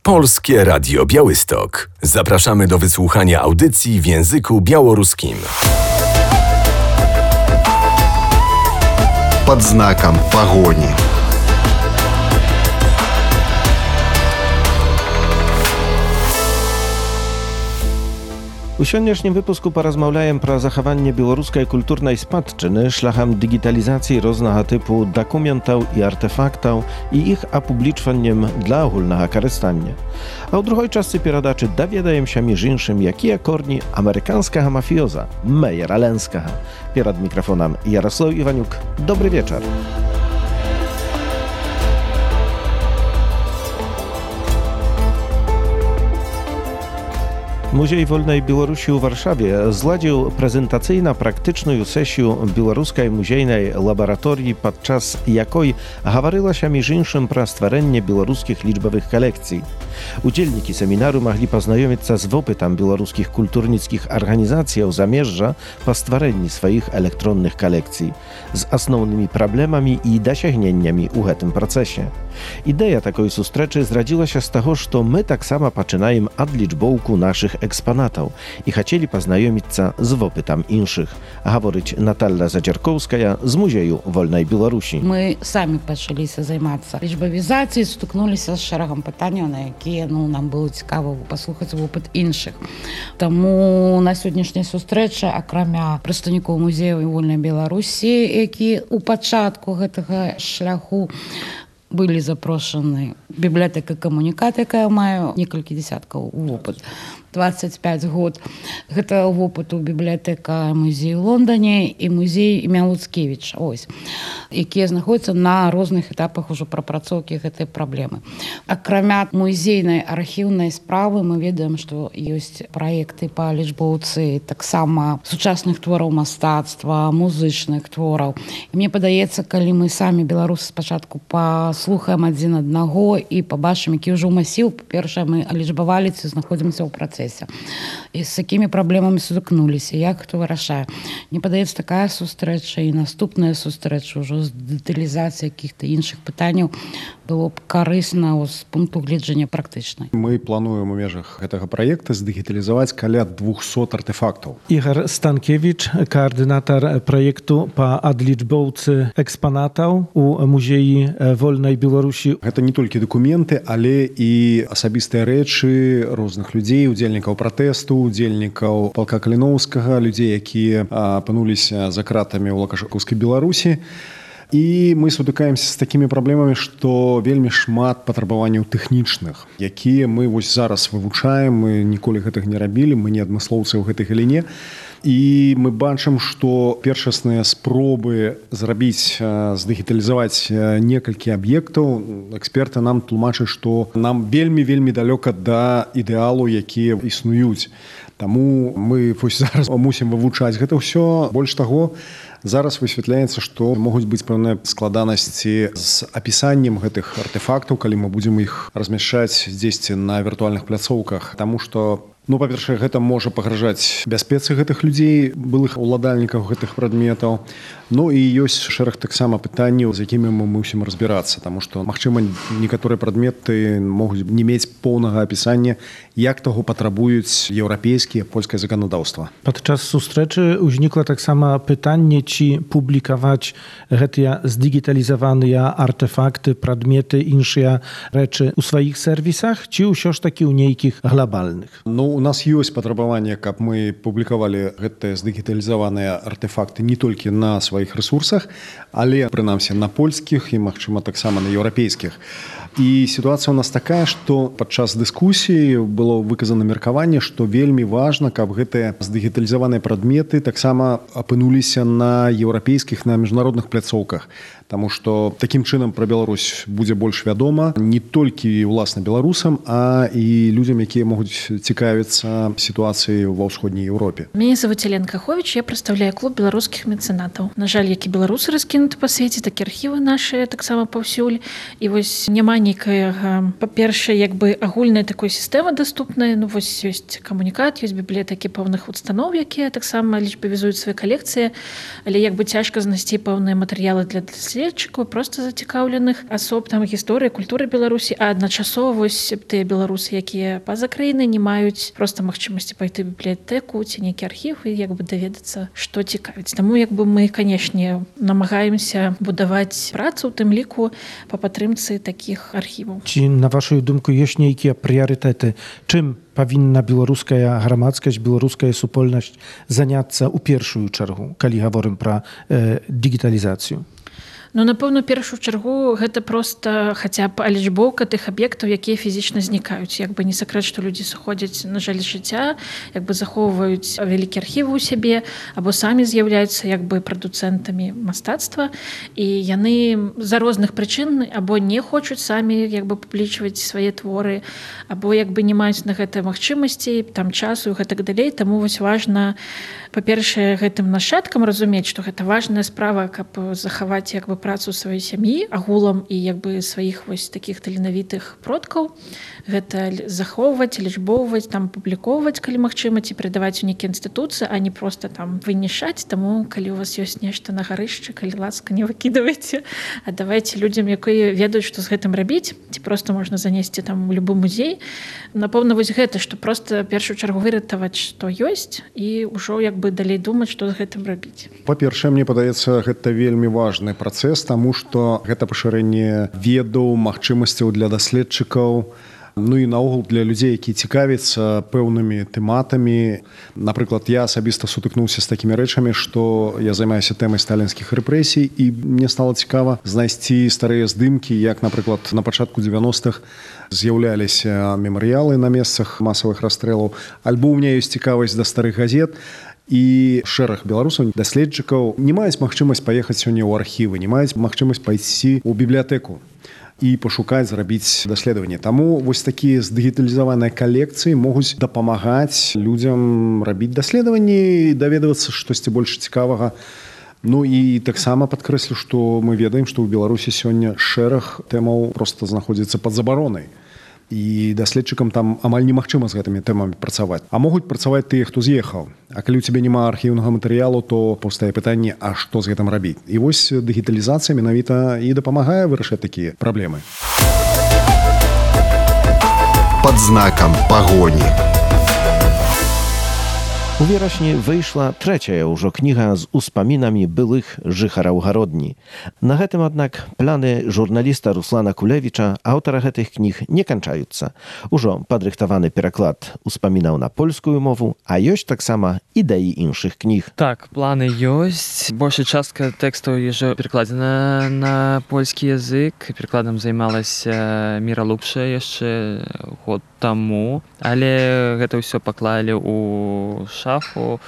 Polskie Radio Białystok. Zapraszamy do wysłuchania audycji w języku białoruskim. Под знаком погони. У сённяшнім выпуску паразмаўляем пра захаванне беларускай культурнай спадчыны шляхам дыгіталізацыі рознага тыпу дакументаў і артэфактаў і іх апублічваннем для агульнага карыстання. А ў другой частцы перадачы даведаемся між іншым, якія корні амерыканскага мафіёза Мейера Ленскага. Перад мікрафонам Ярослав Іванюк. Добры вечар. Muzej Wolnej Białorusi u Warszawie zladził prezentacyjno-praktyczną sesję Białoruskiej Muzejnej Laboratorii, podczas jakiej gawaryła się między innymi pro stworzenie białoruskich liczbowych kolekcji. Udzielniki seminaru mogli poznajomić się z opytem białoruskich kulturnickich organizacji zamierza po stworzeniu swoich elektronnych kolekcji z основnymi problemami i dosięgnieniami w tym procesie. Idea takiej sustreczy zradziła się z tego, że my tak samo zaczynamy od liczbołku naszych eksponatów i chcieli poznajomić się z opytem innych. Говорить Наталя Задзяркоўская z Muzeju Wolnej Białorusi. My sami zaczęli się zajmować liczbowizacją, styknęliśmy z szeregiem pytań, na jakie nam było ciekawe posłuchać opyt innych. Тому на сьогоднішній зустрічі, окрім представників Музею Вольної Білорусі, які у початку цього шляху были запрошены библиотека «Коммуникат», якая маю некалькі десяткаў опыт. 25 год. Гэта опыт у бібліятэка музею ў Лондоне і музей імя Луцкевіча, якія знаходзяцца на розных этапах ужо прапрацоўкі гэтай праблемы. Акрамя музейнай архіўнай справы мы ведаем, што ёсць праекты па лічбоўцы таксама сучасных твораў мастацтва, музычных твораў. І мне падаецца, калі мы самі беларусы спачатку паслухаем адзін аднаго і пабачым, які ўжо масіў, па-першае, мы лічбавалі ці знаходзімся ў працэсе. І з якімі праблемамі сутыкнуліся, як хто вырашае. Мне падаецца, такая сустрэча і наступная сустрэча ўжо з дэталізацыяй каких-то іншых пытанняў было б карысна з пункту гледжання практычнай. Мы плануем у межах гэтага праекта здыгіталізаваць каля 200 артефактаў. Ігор Станкевич, координатор проекту по адлічбоўцы экспонатаў у Музеі Вольнай Беларусі. Гэта не толькі дакументы, але і асабістыя рэчы розных людзей, удзельнікаў пратэсту, удзельнікаў палка Каліноўскага, людзей, якія апынуліся за кратамі ў Лукашэнкаўскай Беларусі. І мы сутыкаемся з такімі праблемамі, што вельмі шмат патрабаванняў тэхнічных, якія мы вось зараз вывучаем, мы ніколі гэтага не рабілі, мы не адмыслоўцы ў гэтай галіне. І мы бачым, што першасныя спробы зрабіць, здыгіталізаваць некалькі аб'ектаў, эксперты нам тлумачаць, што нам вельмі далёка да ідэалу, якія існуюць. Таму мы зараз мусім вывучаць гэта ўсё. Больш таго, зараз высвятляецца, што могуць быць пэўныя складанасці з апісаннем гэтых артефактаў, калі мы будзем іх размяшчаць дзесьці на віртуальных пляцоўках. Таму што, па-першае, гэта можа пагражаць бяспецы гэтых людзей, былых уладальнікаў гэтых прадметаў. І ёсць шэраг таксама пытанняў, з якімі мы мусім разбірацца, таму што, магчыма, некаторыя прадметы могуць не мець поўнага апісання, як таго патрабуюць еўрапейскія, польскае заканадаўства. Падчас сустрэчы ўзнікла таксама пытанне, ці публікаваць гэтыя здыгіталізаваныя артефакты, прадметы, іншыя рэчы ў сваіх сервісах, ці ўсё ж такі ў нейкіх глобальных? У нас ёсць патрабаванне, каб мы публікавалі гэтыя здыгіталізаваныя артефакты не толькі на сваіх ресурсах, але, прынамсі, на польскіх і, магчыма, таксама на еўрапейскіх. І сітуацыя ў нас такая, што падчас дыскусіі было выказана меркаванне, што вельмі важна, каб гэтыя здыгіталізаваныя прадметы таксама апынуліся на еўрапейскіх, на міжнародных пляцоўках. Таму што такім чынам пра Беларусь будзе больш вядома не толькі ўласна беларусам, а і людзям, якія могуць цікавіцца сітуацыяй ва ўсходняй Еўропе. Меня зовут Елена Кахович, я представляю клуб беларускіх мецэнатаў. На жаль, як і беларусы раскінуты па свеце, так і архівы нашы таксама паўсюль. І вось няма нейкая, па-першае, як бы агульная такой сістэмы даступная. Ну вось ёсць камунікат, ёсць бібліятэкі пэўных устаноў, якія таксама лічбавізуюць свае калекцыі, але як бы цяжка знайсці пэўныя матэрыялы для даследчыкаў, проста зацікаўленых асоб там гісторыі, культуры Беларусі, а адначасова вось тыя беларусы, якія па-за краінай не маюць проста магчымасці пайти ў бібліятэку ці нейкі архіў і як бы даведацца, што цікавіць. Таму як бы мы, канешне, намагаемся будаваць працу, у тым ліку па падтрымцы такіх архіваў. Ці, на вашу думку, ёсць нейкія прыярытэты? Чым павінна беларуская грамадскасць, беларуская супольнасць заняцца ў першую чаргу, калі гаворым пра дыгіталізацыю? Ну, напэўна, першую чаргу гэта проста хаця б лічбоўка тых аб'ектаў, якія фізічна знікаюць. Як бы не сакрэт, што людзі сыходзяць на жаль жыцця, як бы захоўваюць вялікі архівы ў сябе, або самі з'яўляюцца як бы прадуцэнтамі мастацтва, і яны з-за розных прычын або не хочуць самі як бы публічваць свае творы, або як бы не маюць на гэта магчымасці, там часу і гэтак далей. Таму вось важна, па-першае, гэтым нашчадкам разумець, што гэта важная справа, каб захаваць як бы працу сваёй сям'і агулам і як бы сваіх вось такіх таленавітых продкаў. Гэта захоўваць, лічбоўваць, там публікоўваць, калі магчыма, ці перадаваць у нейкія інстытуцыі, а не проста там вынішаць. Таму калі у вас ёсць нешта на гарышчы, калі ласка, не выкідавайце, а давайце людзям, якія ведаюць, што з гэтым рабіць, ці проста можна занесці там у любы музей. Напэўна, вось гэта, што проста першую чаргу выратаваць, што ёсць, і ўжо як бы далей думаць, што з гэтым рабіць. Па-першае, мне падаецца, гэта вельмі важны працэс, таму што гэта пашырэнне ведаў, магчымасцяў для даследчыкаў, ну і наогул для людзей, якія цікавяцца пэўнымі тэматамі. Напрыклад, я асабіста сутыкнуўся з такімі рэчамі, што я займаюся тэмай сталінскіх рэпрэсій, і мне стала цікава знайсці старыя здымкі, як, напрыклад, на пачатку 90-х з'яўляліся мемарыялы на месцах масавых расстрэлаў, альбо ў мяне ёсць цікавасць да старых газет. І шэраг беларусаў, даследчыкаў не маюць магчымасць паехаць сёння ў архівы, не маюць магчымасць пайсці ў бібліятэку і пашукаць, зрабіць даследаванне. Таму вось такія здыгіталізаваныя калекцыі могуць дапамагаць людзям рабіць даследаванні і даведавацца штосьці больш цікавага. Ну і таксама падкрэслю, што мы ведаем, што ў Беларусі сёння шэраг тэмаў проста знаходзіцца пад забаронай. І даследчыкам там амаль немагчыма з гэтымі тэмамі працаваць. А могуць працаваць тыя, хто з'ехаў. А калі ў цябе няма архіўнага матэрыялу, то паўстае пытанне, а што з гэтым рабіць? І вось дыгіталізацыя менавіта і дапамагае вырашаць такія праблемы. Пад знакам пагоні. У верасні выйшла трэцяя ўжо кніга з успамінамі былых жыхараў гародні. На гэтым, аднак, планы журналіста Руслана Кулевіча, аўтара гэтых кніг, не канчаюцца. Ужо падрыхтаваны пераклад успамінаў на польскую мову, а ёсць таксама ідэі іншых кніг. Так, планы ёсць. Большая частка тэкстаў ўжо перакладзена на польскі язык. Перакладам займалася Міра Лукша яшчэ год таму, але гэта ўсё паклалі ў шафу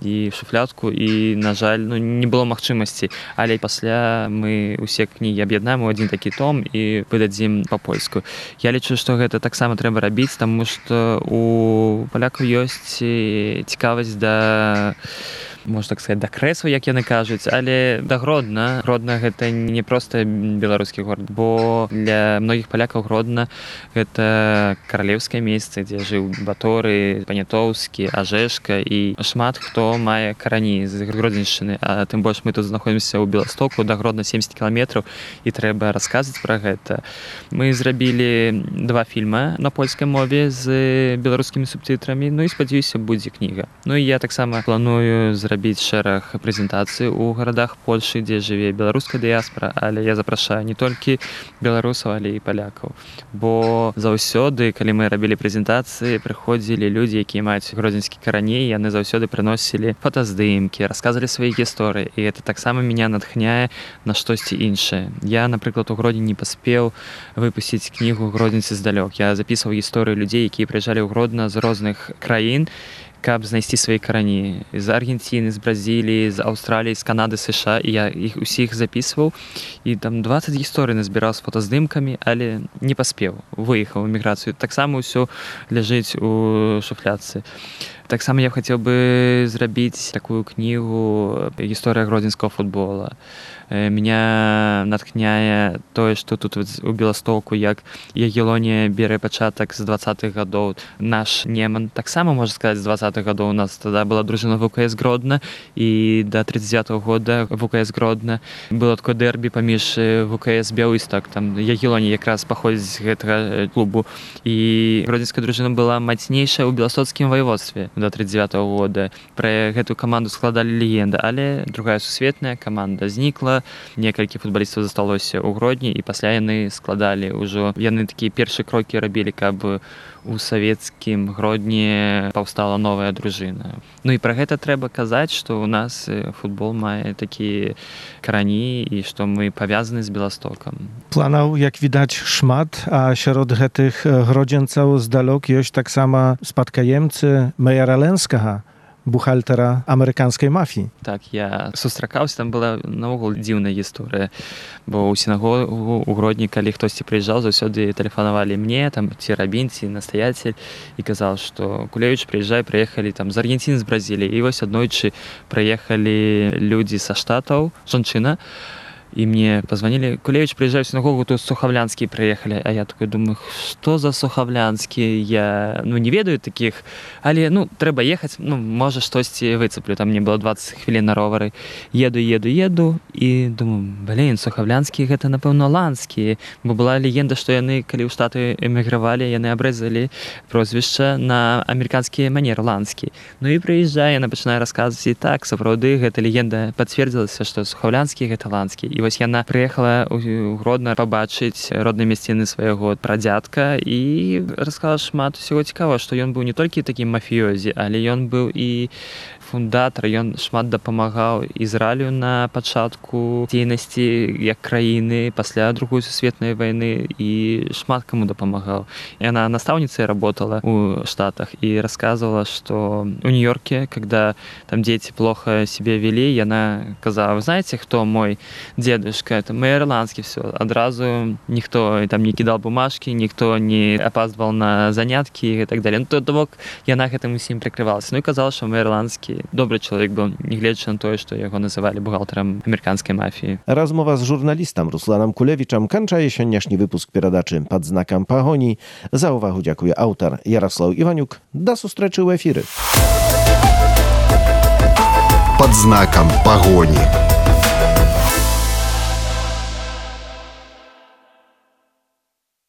і шуфлядку, і, на жаль, не было магчымасці. Але пасля мы ўсе кнігі аб'яднаем у адзін такі том і выдадзім па-польску. Я лічу, што гэта таксама трэба рабіць, таму што у палякаў ёсць цікавасць да, можна так сказаць, да крэсаў, як яны кажуць, але да Гродна. Гродна — гэта не проста беларускі горад, бо для многіх палякаў Гродна — гэта каралеўскае месца, дзе жыў Баторый, Панятоўскі, Ажэшка, і шмат хто мае карані з Гродзеншчыны. А тым больш мы тут знаходзімся ў Беластоку, да Гродна 70 кіламетраў, і трэба расказваць пра гэта. Мы зрабілі 2 фільма на польскай мове з беларускімі субтытрамі, ну і спадзяюся, будзе кніга. Ну і я таксама планую зрабіць шэраг прэзентацый у гарадах Польшы, дзе жыве беларуская дыяспара, але я запрашаю не толькі беларусаў, але і палякаў. Бо заўсёды, калі мы рабілі прэзентацыі, прыходзілі людзі, якія маюць гродзенскі карані, яны заўсёды прыносілі фотаздымкі, расказвалі свае гісторыі, і гэта таксама мяне натхняе на штосьці іншае. Я, напрыклад, у Гродні не паспеў выпусціць кнігу «Гродзенцы здалёк». Я запісваў гісторыю людзей, якія прыязджалі ў Гродна з розных краін, каб знайсці свае карані. З Аргенціны, з Бразіліі, з Аўстраліі, з Канады, США. І я іх усіх запісваў. І там 20 гісторый назбіраў з фотаздымкамі, але не паспеў. Выехаў у эміграцыю. Таксама ўсё ляжыць у шуфлядцы. Таксама я хацеў бы зрабіць такую кнігу «Гісторыя гродзенскага футбола». Меня натхняе тое, што тут у Беластоку, як Ягелонія бярэ пачатак з 20-х гадоў. Наш Неман таксама, можна сказаць, з 20-х гадоў. У нас тада была дружына ВКС Гродна, і да 39-го года ВКС Гродна. Было такое дэрбі паміж ВКС Бяўісток. Там Ягелонія якраз паходзіць з гэтага клубу. І гродзенская дружына была мацнейшая ў беластоцкім ваеводстве да 39-го года. Пра гэтую каманду складалі легенды, але другая сусветная каманда знікла. Некалькі футбалістаў засталося ў Гродні, і пасля яны складалі ўжо. Яны такія першыя крокі рабілі, каб у савецкім Гродні паўстала новая дружына. Ну і пра гэта трэба казаць, што ў нас футбол мае такія карані і што мы павязаны з Беластокам. Планаў, як відаць, шмат, а сярод гэтых гродзенцаў здалёк ёсць таксама спадкаемцы Мейера Ленскага, бухгалтера амерыканскай мафіі. Так, я сустракаўся, там была наогул дзіўная гісторыя, бо ў сінагогу ў Гродні, калі хтосьці прыязджаў, заўсёды тэлефанавалі мне, там, ці рабін, ці настаяцель, і казаў, што Кулевіч, прыязджай, прыехалі там з Аргенціны, з Бразіліі, і вось аднойчы прыехалі людзі са Штатаў, жанчына, і мне позвонили: Кулевич, приезжай в синагогу, тут Суховлянские приехали. А я такой думаю, что за Суховлянские? Я не ведаю таких, але трэба ехать, може штосьці выцеплю. Там мне было 20 хвілін на ровары. Еду і думаю, блин, Суховлянские гэта, напэўна, ланскія. Бо была легенда, што яны, калі ў Штаты эмігравалі, яны абрэзалі прозвішча на амерыканскія манеры, ланскія. І прыязджае, яна пачынае расказваць, і так, сапраўды, гэта легенда пацвердзілася, што Суховлянскія гэта ланскія. І вось яна прыехала ў Гродна пабачыць родныя мясціны свайго прадзядка і расказала шмат усяго цікавага, што ён быў не толькі такім мафіёзі, але ён быў і фундатар, ён шмат дапамагаў Ізраілю на пачатку дзейнасці як краіны пасля Другой сусветнай вайны і шмат каму дапамагаў. Яна настаўніцай работала ў Штатах і рассказывала, што у Нью-Йорке, когда там дети плохо себя вели, яна казала: вы знаете, кто мой дедушка? Это Мейер Ланский. Все, адразу никто там не кидал бумажки, никто не опаздывал на занятки и так далее. То бок яна гэтым усім прикрывалася. І казала, што Мейер Ланскі добры чалавек быў, нягледзячы на тое, што яго называлі бухгалтарам амерыканскай мафіі. Размова з журналістам Русланом Кулевічам канчае сённяшні выпуск перадачы «Пад знакам пагоні». За ўвагу дзякуе аўтар Ярослаў Іванюк. Да сустрэчы ў эфіры. «Под знаком погони».